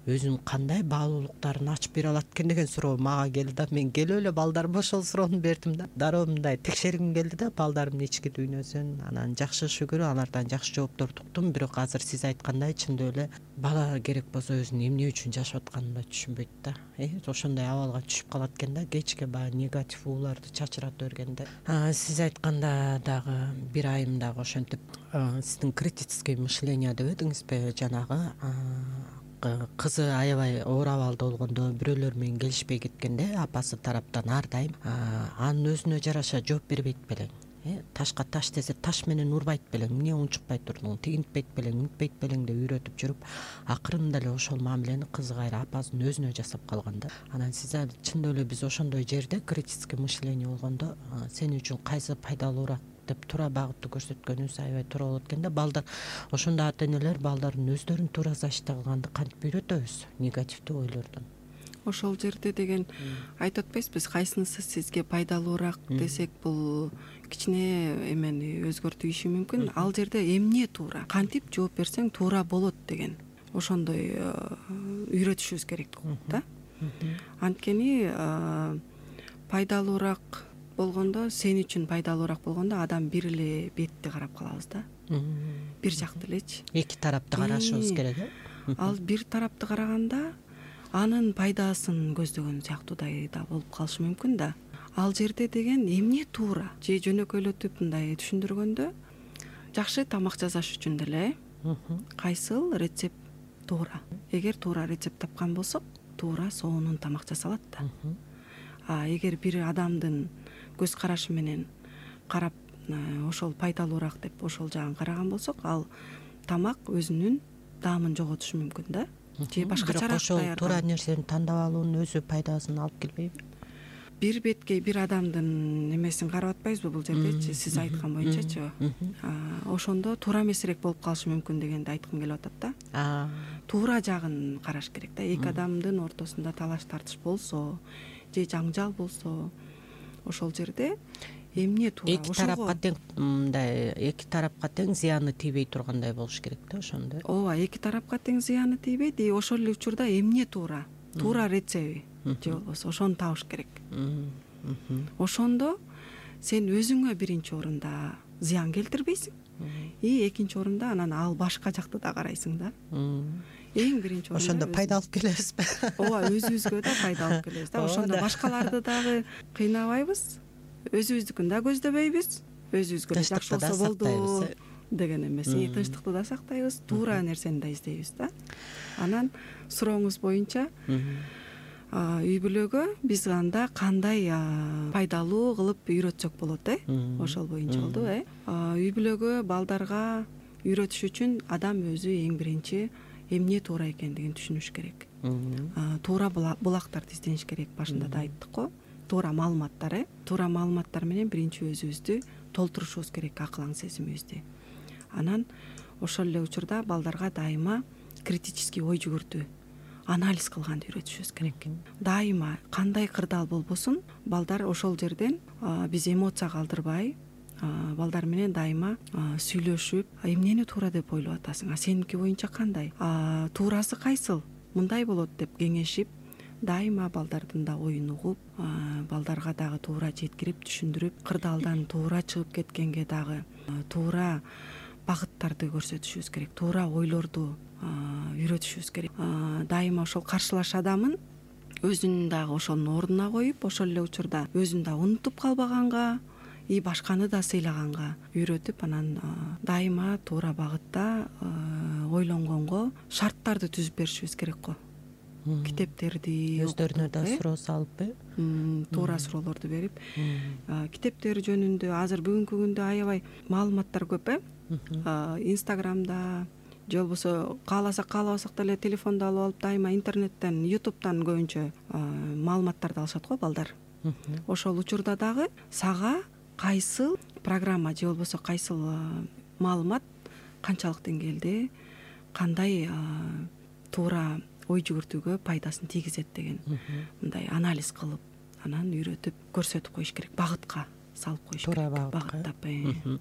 өзүнүн кандай баалуулуктарын ачып бере алат экен деген суроо мага келди да. Мен келип эле балдарыма ошол суроону бердим да. Дароо мындай текшергим келди да балдарымдын ички дүйнөсүн. Анан жакшы шүгүр алардан жакшы жоопторду уктум. Бирок азыр сиз айткандай чындап эле бала керек болсо өзүн эмне үчүн жашап атканын да түшүнбөйт да. Э, ошондой абалга түшүп калат экен да. Кечке баягы негатив ууларды чачырата бергенде. Сиз айтканда дагы бир айым дагы ошентип сиздин критическое мышление дебедиңизби? Жанагы кызы аябай оор абалда болгондо, бирөөлөр менен келишпей кеткенде апасы тараптан ар дайым анын өзүнө жараша жооп бербейт белең. Ташка таш десе таш менен урбайт белең, эмне унчукпай турдуң, тигинтпейт белең, үнтпейт белең деп үйрөтүп жүрүп, акырында эле ошол мамилени кызы кайра апасынын өзүнө жасап калган да. Анан сиз чындап эле биз ошондой жерде критическое мышление болгондо сен үчүн кайсы пайдалуураак деп туура багытты көрсөткөнүбүз аябай туура болот экен да. Балдар ошондо ата энелер балдарын өздөрүн туура защита кылганды кантип үйрөтөбүз негативдүү ойлордон? Ошол жерде деген айтып атпайсызбы, кайсынысы сизге пайдалуураак десек, бул кичине эмени өзгөртүшү мүмкүн. Ал жерде эмне туура, кантип жооп берсең туура болот деген ошондой үйрөтүшүбүз керек да. Анткени пайдалуураак болгондо, сен үчүн пайдалуураак болгондо адам бир эле бетти карап калабыз да. Бир жакты элечи. Эки тарапты карашыбыз керек э. Ал бир тарапты караганда анын пайдасын көздөгөн сыяктуудай да болуп калышы мүмкүн да. ал жерде деген эмне туура же жөнөкөйлөтүп мындай түшүндүргөндө жакшы тамак жасаш үчүн деле кайсыл рецепт туура. Эгер туура рецепт тапкан болсок, туура сонун тамак жасалат да. А эгер бир адамдын көз карашы менен карап ошол пайдалуураак деп ошол жагын караган болсок, ал тамак өзүнүн даамын жоготушу мүмкүн да. Же башкачараак ошол даярдалат. туура нерсени тандап алуунун өзү пайдасын алып келбейби? Бир бетке бир адамдын эмесин карап атпайбызбы бул жердечи, сиз айткан боюнчачы. Ошондо туура эмесирээк болуп калышы мүмкүн дегенди айткым келип атат да. Туура жагын караш керек да. Эки адамдын ортосунда талаш тартыш болсо же жаңжал болсо, ошол жерде эмне туура, эки тарапка тең мындай эки тарапка тең зыяны тийбей тургандай болуш керек да ошондо. Ооба, эки тарапка тең зыяны тийбейт, и ошол эле учурда эмне туура, туура рецепти же болбосо ошону табыш керек. Ошондо сен өзүңө биринчи орунда зыян келтирбейсиң, и экинчи орунда анан ал башка жакты да карайсың да. Эң биринчи орунда ошондо пайда алып келебизби? Ооба, өзүбүзгө да пайда алып келебиз да. Ошондо башкаларды дагы кыйнабайбыз, өзүбүздүкүн да көздөбөйбүз, өзүбүзгө жакшы болсо болду деген эмес. Тынчтыкты да сактайбыз, туура нерсени да издейбиз да. Анан сурооңуз боюнча үй бүлөгө биз анда кандай пайдалуу кылып үйрөтсөк болот, э? Ошол боюнча болду, э? Үй бүлөгө балдарга үйрөтүш үчүн адам өзү эң биринчи эмне туура экендигин түшүнүш керек. Туура булактарды издениш керек, башында да айттык го. Туура маалыматтар, э? Туура маалыматтар менен биринчи өзүбүздү толтурушубуз керек, акыл аң сезимибизди. Анан ошол эле учурда балдарга дайыма критический ой жүгүртүү, анализ кылганды үйрөтүшүбүз керек. Дайыма кандай кырдаал болбосун, балдар ошол жерден биз эмоция калтырбай, балдар менен дайыма сүйлөшүп, эмнени туура деп ойлоп атасың, а сеники боюнча кандай, туурасы кайсыл, мындай болот деп кеңешип, дайыма балдардын да оюн угуп, балдарга дагы туура жеткирип, түшүндүрүп, кырдаалдан туура чыгып кеткенге дагы туура багыттарды көрсөтүшүбүз керек, туура ойлорду үйрөтүшүбүз керек. Дайыма ошол каршылаш адамын өзүн дагы ошонун ордуна коюп, ошол эле учурда өзүн да унутуп калбаганга, и башканы да сыйлаганга үйрөтүп, анан дайыма туура багытта ойлонгонго шарттарды түзүп беришибиз керек го. Китептерди өздөрүнө да суроо салып, туура суроолорду берип, китептер жөнүндө азыр бүгүнкү күндө аябай маалыматтар көп, э? Инстаграмда же болбосо кааласак каалабасак деле телефонду алып алып, дайыма интернеттен, ютубтан көбүнчө маалыматтарды алышат го балдар. Ошол учурда дагы сага кайсыл программа же болбосо кайсыл маалымат канчалык деңгээлде кандай туура ой жүгүртүүгө пайдасын тийгизет деген мындай анализ кылып, анан үйрөтүп көрсөтүп коюш керек, багытка салып коюш керек, багыттап.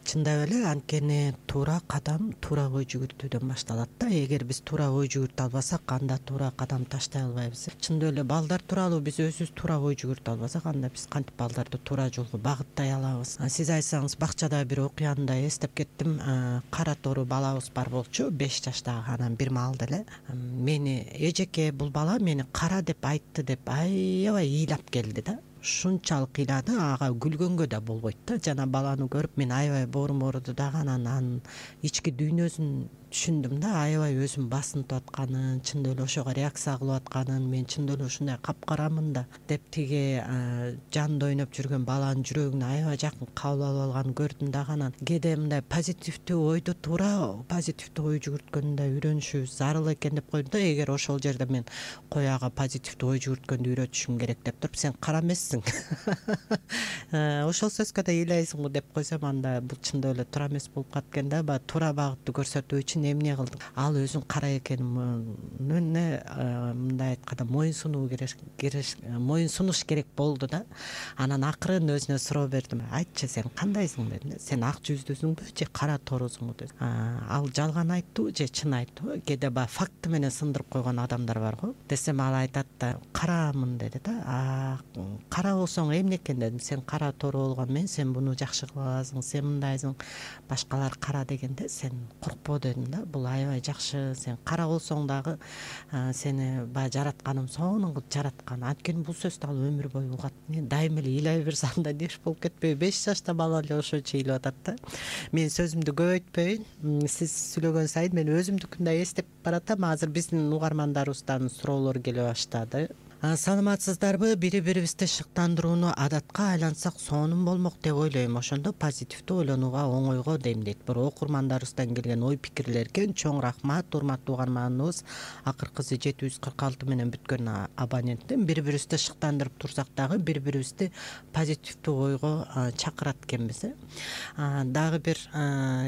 Чындап эле, анткени туура кадам туура ой жүгүртүүдөн башталат да. Эгер биз туура ой жүгүртө албасак, анда туура кадам таштай албайбыз. Чындап эле балдар тууралуу биз өзүбүз туура ой жүгүртө албасак, анда биз кантип балдарды туура жолго багыттай алабыз? Сиз айтсаңыз, бакчада бир окуяны да эстеп кеттим. Кара тору балабыз бар болчу, беш жаштагы. Анан бир маалда эле мени эжеке, бул бала мени кара деп айтты деп аябай ыйлап келди да. Ушунчалык ыйлады, ага күлгөнгө да болбойт да. Жана баланы көрүп мен аябай боорум ооруду дагы, анан анын ички дүйнөсүн түшүндүм да, аябай өзүн басынтып атканын, чындап эле ошого реакция кылып атканын, мен чындап эле ушундай капкарамын да деп тиги жанында ойноп жүргөн баланын жүрөгүнө аябай жакын кабыл алып алганын көрдүм дагы. Анан кээде мындай позитивдүү ойду туура позитивдүү ой жүгүрткөндү да үйрөнүшүбүз зарыл экен деп койдум да. Эгер ошол жерде мен кой ага позитивдүү ой жүгүрткөндү үйрөтүшүм керек деп туруп, сен кара эмессиң, ошол сөзгө да ыйлайсыңбы деп койсом, анда бул чындап эле туура эмес болуп калат экен да. Баягы туура багытты көрсөтүү үчүн эмне кылдык? Ал өзүн кара экенин мындай айтканда моюн сунуу керек, моюн сунуш керек болду да. Анан акырын өзүнө суроо бердим. Айтчы, сен кандайсың дедим. Сен ак жүздүүсүңбү же кара торусуңбу дедим. Ал жалган айттыбы же чын айттыбы? Кээде баягы факты менен сындырып койгон адамдар бар го. Десем ал айтат да, карамын деди да. кара болсоң эмне экен дедим. Сен кара тору болгон мен, сен буну жакшы кыласың, сен мындайсың, башкалар кара дегенде сен коркпо дедим да. Бул аябай жакшы. Сен кара болсоң дагы сени баягы жаратканым сонун кылып жараткан. Анткени бул сөздү ал өмүр бою угат. Дайыма эле ыйлай берсе анда нерв болуп кетпейби? беш жашта бала эле ошончо ыйлап атат да. Мен сөзүмдү көп өйтпөйүн. Сиз сүйлөгөн сайын мен өзүмдүкүн да эстеп баратам. Азыр биздин угармандарыбыздан суроолор келе баштады. Саламатсыздарбы? Бири-бирибизди шыктандырууну адатка айлансак сонун болмок деп ойлойм. Ошондо позитивдүү ойлонууга оңойго дейм дейт. Бирок окурмандарыбыздан келген ой пикирлерге чоң рахмат. Урматтуу угарманыбыз, акыркысы жети жүз кырк алты менен бүткөн абоненттин. Бири-бирибизди шыктандырып турсак дагы бири-бирибизди позитивдүү ойго чакырат экенбиз. Дагы бир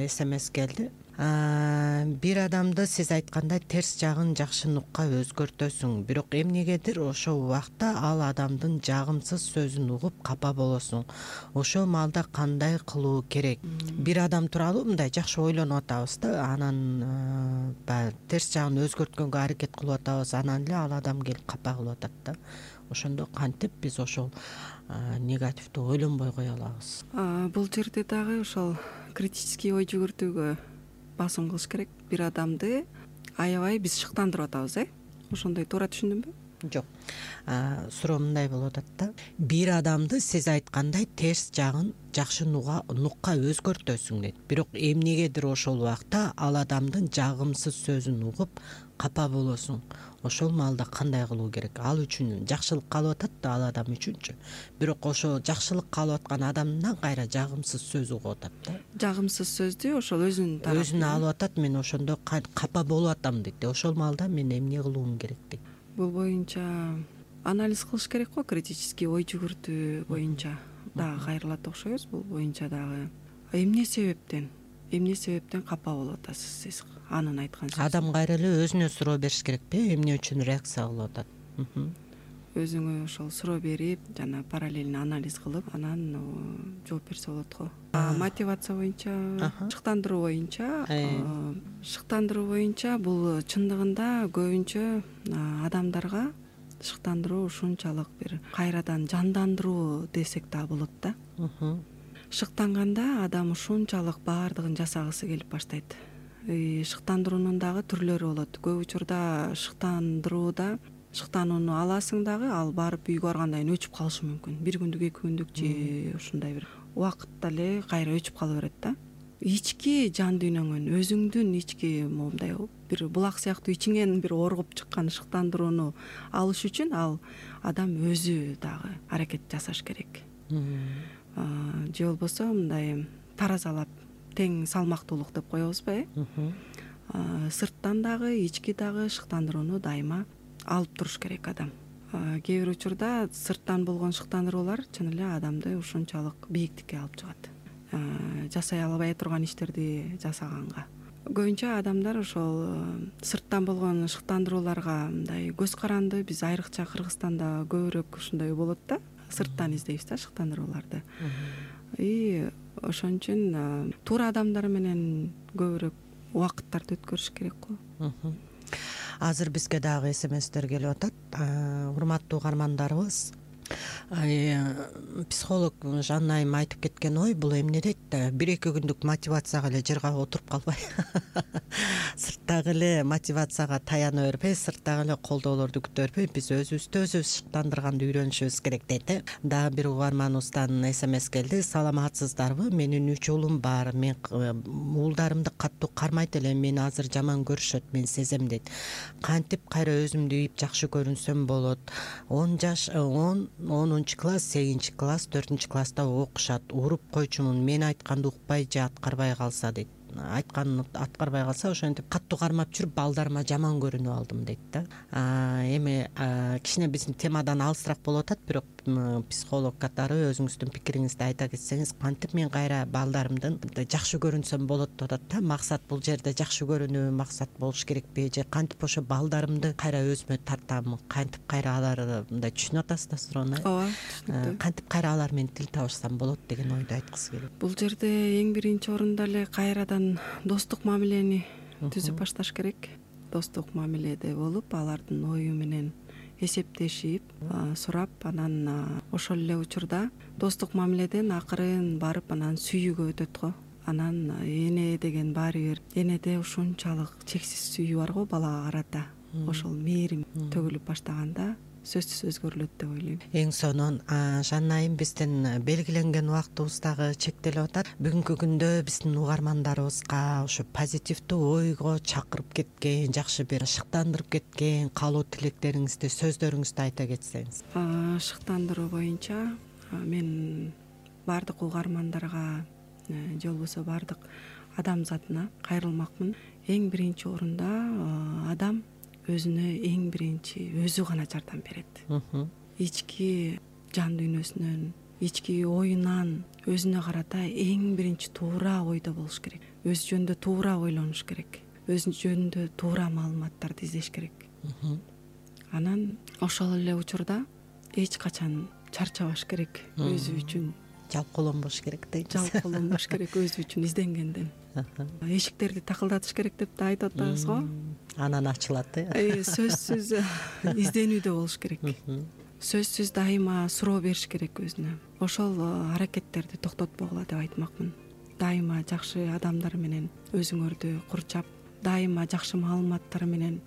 смс келди. Бир адамды сиз айткандай терс жагын жакшы нукка өзгөртөсүң, бирок эмнегедир ошол убакта ал адамдын жагымсыз сөзүн угуп капа болосуң. Ошол маалда кандай кылуу керек? Бир адам тууралуу мындай жакшы ойлонуп атабыз да, анан баягы терс жагын өзгөрткөнгө аракет кылып атабыз, анан эле ал адам келип капа кылып атат да. Ошондо кантип биз ошол негативдүү ойлонбой кое алабыз? Бул жерде дагы ошол критический ой жүгүртүүгө басым кылыш керек. Бир адамды аябай биз шыктандырып атабыз, э? Ошондой туура түшүндүмбү? Жок. Суроо мындай болуп атат да. Бир адамды сиз айткандай терс жагын жакшы нукка өзгөртөсүң дейт. Бирок эмнегедир ошол убакта ал адамдын жагымсыз сөзүн угуп капа болосуң. Ошол маалда кандай кылуу керек? Ал үчүн жакшылык каалап атат да, ал адам үчүнчү. Бирок ошол жакшылык каалап аткан адамдан кайра жагымсыз сөз угуп атат да. Жагымсыз сөздү ошол өзүнүн тарапынан өзүнө алып атат. Мен ошондо капа болуп атам дейт. Ошол маалда мен эмне кылуум керек дейт. Бул боюнча анализ кылыш керек го, критический ой жүгүртүү боюнча дагы кайрылат окшойбуз. Бул боюнча дагы эмне себептен эмне себептен капа болуп атасыз сиз анын айткан сөзү? Адам кайра эле өзүнө суроо бериш керекпи? Эмне үчүн реакция кылып атат? Өзүңө ошол суроо берип, жана параллельно анализ кылып, анан жооп берсе болот го. Мотивация боюнча, шыктандыруу боюнча, шыктандыруу боюнча бул чындыгында көбүнчө адамдарга шыктандыруу ушунчалык бир кайрадан жандандыруу десек да болот да. Шыктанганда адам ушунчалык баардыгын жасагысы келип баштайт. Шыктандыруунун дагы түрлөрү болот. Көп учурда шыктандырууда шыктанууну аласың дагы, ал барып үйгө баргандан кийин өчүп калышы мүмкүн. Бир күндүк, эки күндүк же ушундай бир убакытта эле кайра өчүп кала берет да. Ички жан дүйнөңөн, өзүңдүн ички моундай бир булак сыяктуу ичиңен бир оргуп чыккан шыктандырууну алыш үчүн ал адам өзү дагы аракет жасаш керек. Же болбосо мындай таразалап тең салмактуулук деп коебузбу, э? Сырттан дагы, ички дагы шыктандырууну дайыма алып туруш керек адам. Кээ бир учурда сырттан болгон шыктандыруулар чын эле адамды ушунчалык бийиктикке алып чыгат. Жасай албай турган иштерди жасаганга. Көбүнчө адамдар ошол сырттан болгон шыктандырууларга мындай көз каранды. Биз айрыкча Кыргызстанда көбүрөөк ушундай болот да. Сырттан издейбиз да шыктандырууларды. И ошон үчүн туура адамдар менен көбүрөөк убакыттарды өткөрүш керек го. Азыр бизге дагы смстер келип атат. Урматтуу угармандарыбыз, психолог Жанна айым айтып кеткен ой бул эмне дейт? бир эки күндүк мотивацияга эле жыргап отуруп калбай, сырттагы эле мотивацияга таяна бербей, сырттагы эле колдоолорду күтө бербей, биз өзүбүздү өзүбүз шыктандырганды үйрөнүшүбүз керек дейт. Дагы бир угарманыбыздан смс келди. Саламатсыздарбы? Менин үч уулум бар. Мен уулдарымды каттуу кармайт элем. Мени азыр жаман көрүшөт, мен сезем дейт. Кантип кайра өзүмдү ийип жакшы көрүнсөм болот? он жаш он онунчу класс, сегизинчи класс, төртүнчү класста окушат. Уруп койчумун. Мен айтканды укпай же аткарбай калса дейт. Айтканын аткарбай калса ошентип каттуу кармап жүрүп балдарыма жаман көрүнүп алдым дейт да. Эми кичине биздин темадан алысыраак болуп атат, бирок психолог катары өзүңүздүн пикириңизди айта кетсеңиз, кантип мен кайра балдарымдын жакшы көрүнсөм болот деп атат да. Максат бул жерде жакшы көрүнүү максат болуш керекпи, же кантип ошо балдарымды кайра өзүмө тартам, кантип кайра алар мындай түшүнүп атасыз да суроону? Ооба, түшүнүктүү. Кантип кайра алар менен тил табышсам болот деген ойду айткысы келет. Бул жерде эң биринчи орунда эле кайрадан достук мамилени түзүп башташ керек. Достук мамиледе болуп, алардын ою менен эсептешип сурап, анан ошол эле учурда достук мамиледен акырын барып анан сүйүүгө өтөт го. Анан эне деген баары бир энеде ушунчалык чексиз сүйүү бар го балага карата. Ошол мээрим төгүлүп баштаганда сөзсүз өзгөрүлөт деп ойлойм. Эң сонун Жанна айым, биздин белгиленген убактыбыз дагы чектелип атат. Бүгүнкү күндө биздин угармандарыбызга ушу позитивдүү ойго чакырып кеткен, жакшы бир шыктандырып кеткен каалоо тилектериңизди, сөздөрүңүздү айта кетсеңиз. Шыктандыруу боюнча мен баардык угармандарга же болбосо баардык адамзатына кайрылмакмын. Эң биринчи орунда адам өзүнө эң биринчи өзү гана жардам берет. Ички жан дүйнөсүнөн, ички оюнан өзүнө карата эң биринчи туура ойдо болуш керек. Өз жөнүндө туура ойлонуш керек. Өз жөнүндө туура маалыматтарды издеш керек. Анан ошол эле учурда эч качан чарчабаш керек. Өзү үчүн жалкоолонбош керек дейт. Жалкоолонбош керек өзү үчүн изденгенден. Эшиктерди такылдатыш керек деп да айтып атабыз го. Анан ачылат э. Сөзсүз изденүүдө болуш керек. Сөзсүз дайыма суроо бериш керек өзүнө. Ошол аракеттерди токтотпогула деп айтмакмын. Дайыма жакшы адамдар менен өзүңөрдү курчап, дайыма жакшы маалыматтар менен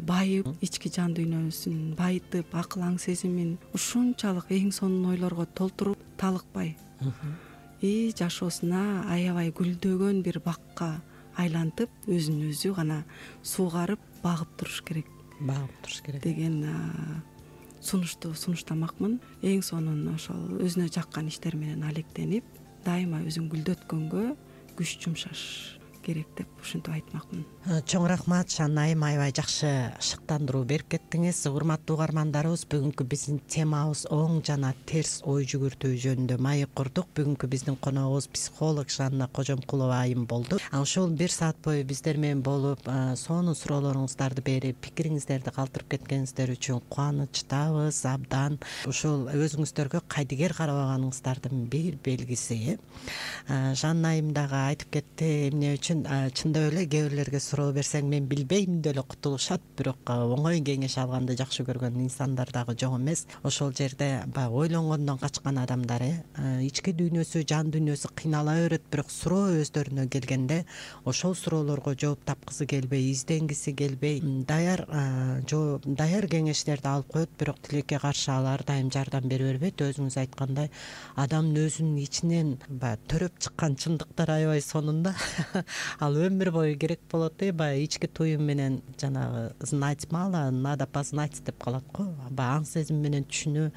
байып, ички жан дүйнөсүн байытып, акыл аң сезимин ушунчалык эң сонун ойлорго толтуруп, талыкпай и жашоосуна аябай гүлдөгөн бир бакка айлантып, өзүн өзү гана суугарып, багып туруш керек. Багып туруш керек деген сунушту сунуштамакмын. Эң сонун ошол өзүнө жаккан иштер менен алектенип, дайыма өзүн гүлдөткөнгө күч жумшаш керек деп ушинтип айтмакмын. Чоң рахмат Жанна айым, аябай жакшы шыктандыруу берип кеттиңиз. Урматтуу угармандарыбыз, бүгүнкү биздин темабыз оң жана терс ой жүгүртүү жөнүндө маек курдук. Бүгүнкү биздин коногубуз психолог Жанна Кожомкулова айым болду. Ошол бир саат бою биздер менен болуп, сонун суроолоруңуздарды берип, пикириңиздерди калтырып кеткениңиздер үчүн кубанычтабыз абдан. Ушул өзүңүздөргө кайдыгер карабаганыңыздардын бир белгиси. Жанна айым дагы айтып кетти, эмне үчүн чындап эле кээ бирлерге суроо берсең мен билбейм деле кутулушат, бирок оңой кеңеш алганды жакшы көргөн инсандар дагы жок эмес. Ошол жерде баягы ойлонгондон качкан адамдар ички дүйнөсү, жан дүйнөсү кыйнала берет, бирок суроо өздөрүнө келгенде ошол суроолорго жооп тапкысы келбей, изденгиси келбей, даяр жооп, даяр кеңештерди алып коет, бирок тилекке каршы ал ар дайым жардам бере бербейт. Өзүңүз айткандай, адамдын өзүнүн ичинен баягы төрөп чыккан чындыктар аябай сонун да. Ал өмүр бою керек болот э, баягы ички туюм менен жанагы знать мало, надо познать деп калат го. Баягы аң сезим менен түшүнүү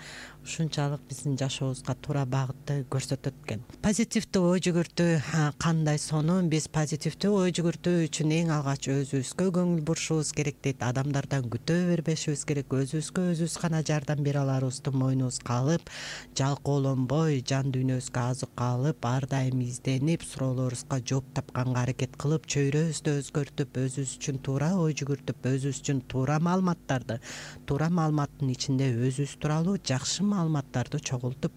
ушунчалык биздин жашообузга туура багытты көрсөтөт экен. Позитивдүү ой жүгүртүү кандай сонун. Биз позитивдүү ой жүгүртүү үчүн эң алгач өзүбүзгө көңүл бурушубуз керек дейт. Адамдардан күтө бербешибиз керек. Өзүбүзгө өзүбүз гана жардам бере аларыбызды мойнубузга алып, жалкоолонбой, жан дүйнөбүзгө азык алып, ар дайым изденип, суроолорубузга жооп тапканга аракет кылып, чөйрөбүздү өзгөртүп, өзүбүз үчүн туура ой жүгүртүп, өзүбүз үчүн туура маалыматтарды, туура маалыматтын ичинде өзүбүз тууралуу жакшы маалыматтарды чогултуп,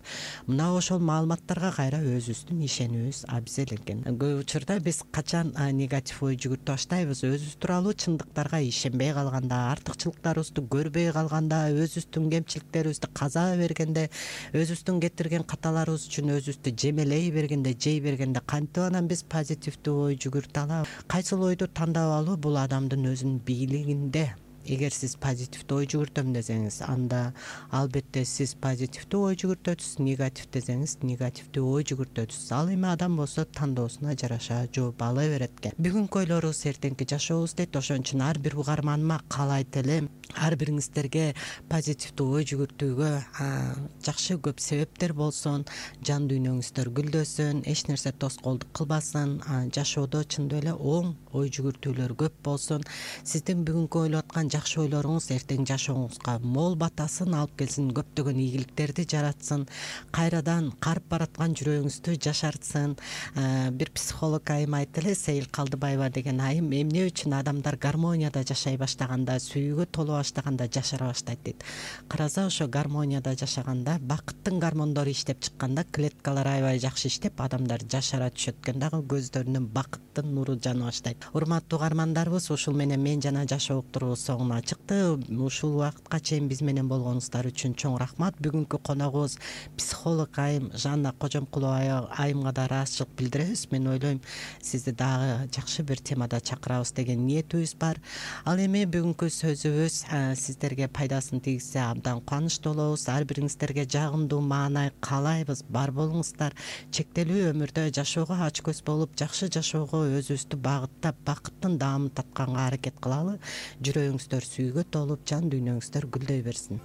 мына ошол маалыматтарга кайра өзүбүздүн ишенүүбүз абзел экен. Көп учурда биз качан негатив ой жүгүртүп баштайбыз, өзүбүз тууралуу чындыктарга ишенбей калганда, артыкчылыктарыбызды көрбөй калганда, өзүбүздүн кемчиликтерибизди каза бергенде, өзүбүздүн кетирген каталарыбыз үчүн өзүбүздү жемелей бергенде, жей бергенде кантип анан биз позитивдүү ой жүгүртө алабыз? Кайсыл ойду тандап алуу бул адамдын өзүнүн бийлигинде. Эгер сиз позитивдүү ой жүгүртөм десеңиз, анда албетте сиз позитивдүү ой жүгүртөсүз, негатив десеңиз, негативдүү ой жүгүртөсүз. Ал эми адам болсо тандоосуна жараша жооп ала берет экен. Бүгүнкү ойлорубуз эртеңки жашообуз дейт. Ошон үчүн ар бир угарманыма каалайт элем, ар бириңиздерге позитивдүү ой жүгүртүүгө жакшы көп себептер болсун, жан дүйнөңүздөр гүлдөсүн, эч нерсе тоскоолдук кылбасын, жашоодо чындап эле оң ой жүгүртүүлөр көп болсун. Сиздин бүгүнкү ойлоп аткан жакшы ойлоруңуз эртең жашооңузга мол батасын алып келсин, көптөгөн ийгиликтерди жаратсын, кайрадан карып бараткан жүрөгүңүздү жашартсын. Бир психолог айым айтты эле, Сейил Калдыбаева деген айым, эмне үчүн адамдар гармонияда жашай баштаганда, сүйүүгө толо баштаганда жашара баштайт дейт. Караса, ошо гармонияда жашаганда, бакыттын гормондору иштеп чыкканда, клеткалар аябай жакшы иштеп, адамдар жашара түшөт экен дагы, көздөрүнөн бакыттын нуру жана баштайт. Урматтуу угармандарыбыз, ушул менен мен жана жашоо уктуруубуз эшигиңи ачыкты. Ушул убакытка чейин биз менен болгонуңуздар үчүн чоң рахмат. Бүгүнкү коногубуз психолог айым Жанна Кожомкулова айымга да ыраазычылык билдиребиз. Мен ойлойм, сизди дагы жакшы бир темада чакырабыз деген ниетибиз бар. Ал эми бүгүнкү сөзүбүз сиздерге пайдасын тийгизсе абдан кубанычтуу болобуз. Ар бириңиздерге жагымдуу маанай каалайбыз. Бар болуңуздар. Чектелүү өмүрдө жашоого ач көз болуп, жакшы жашоого өзүбүздү багыттап, бакыттын даамын татканга аракет кылалы. Жүрөгүңүздөр сүйгү толуп, жан дүйнөңүздөр гүлдөй берсин.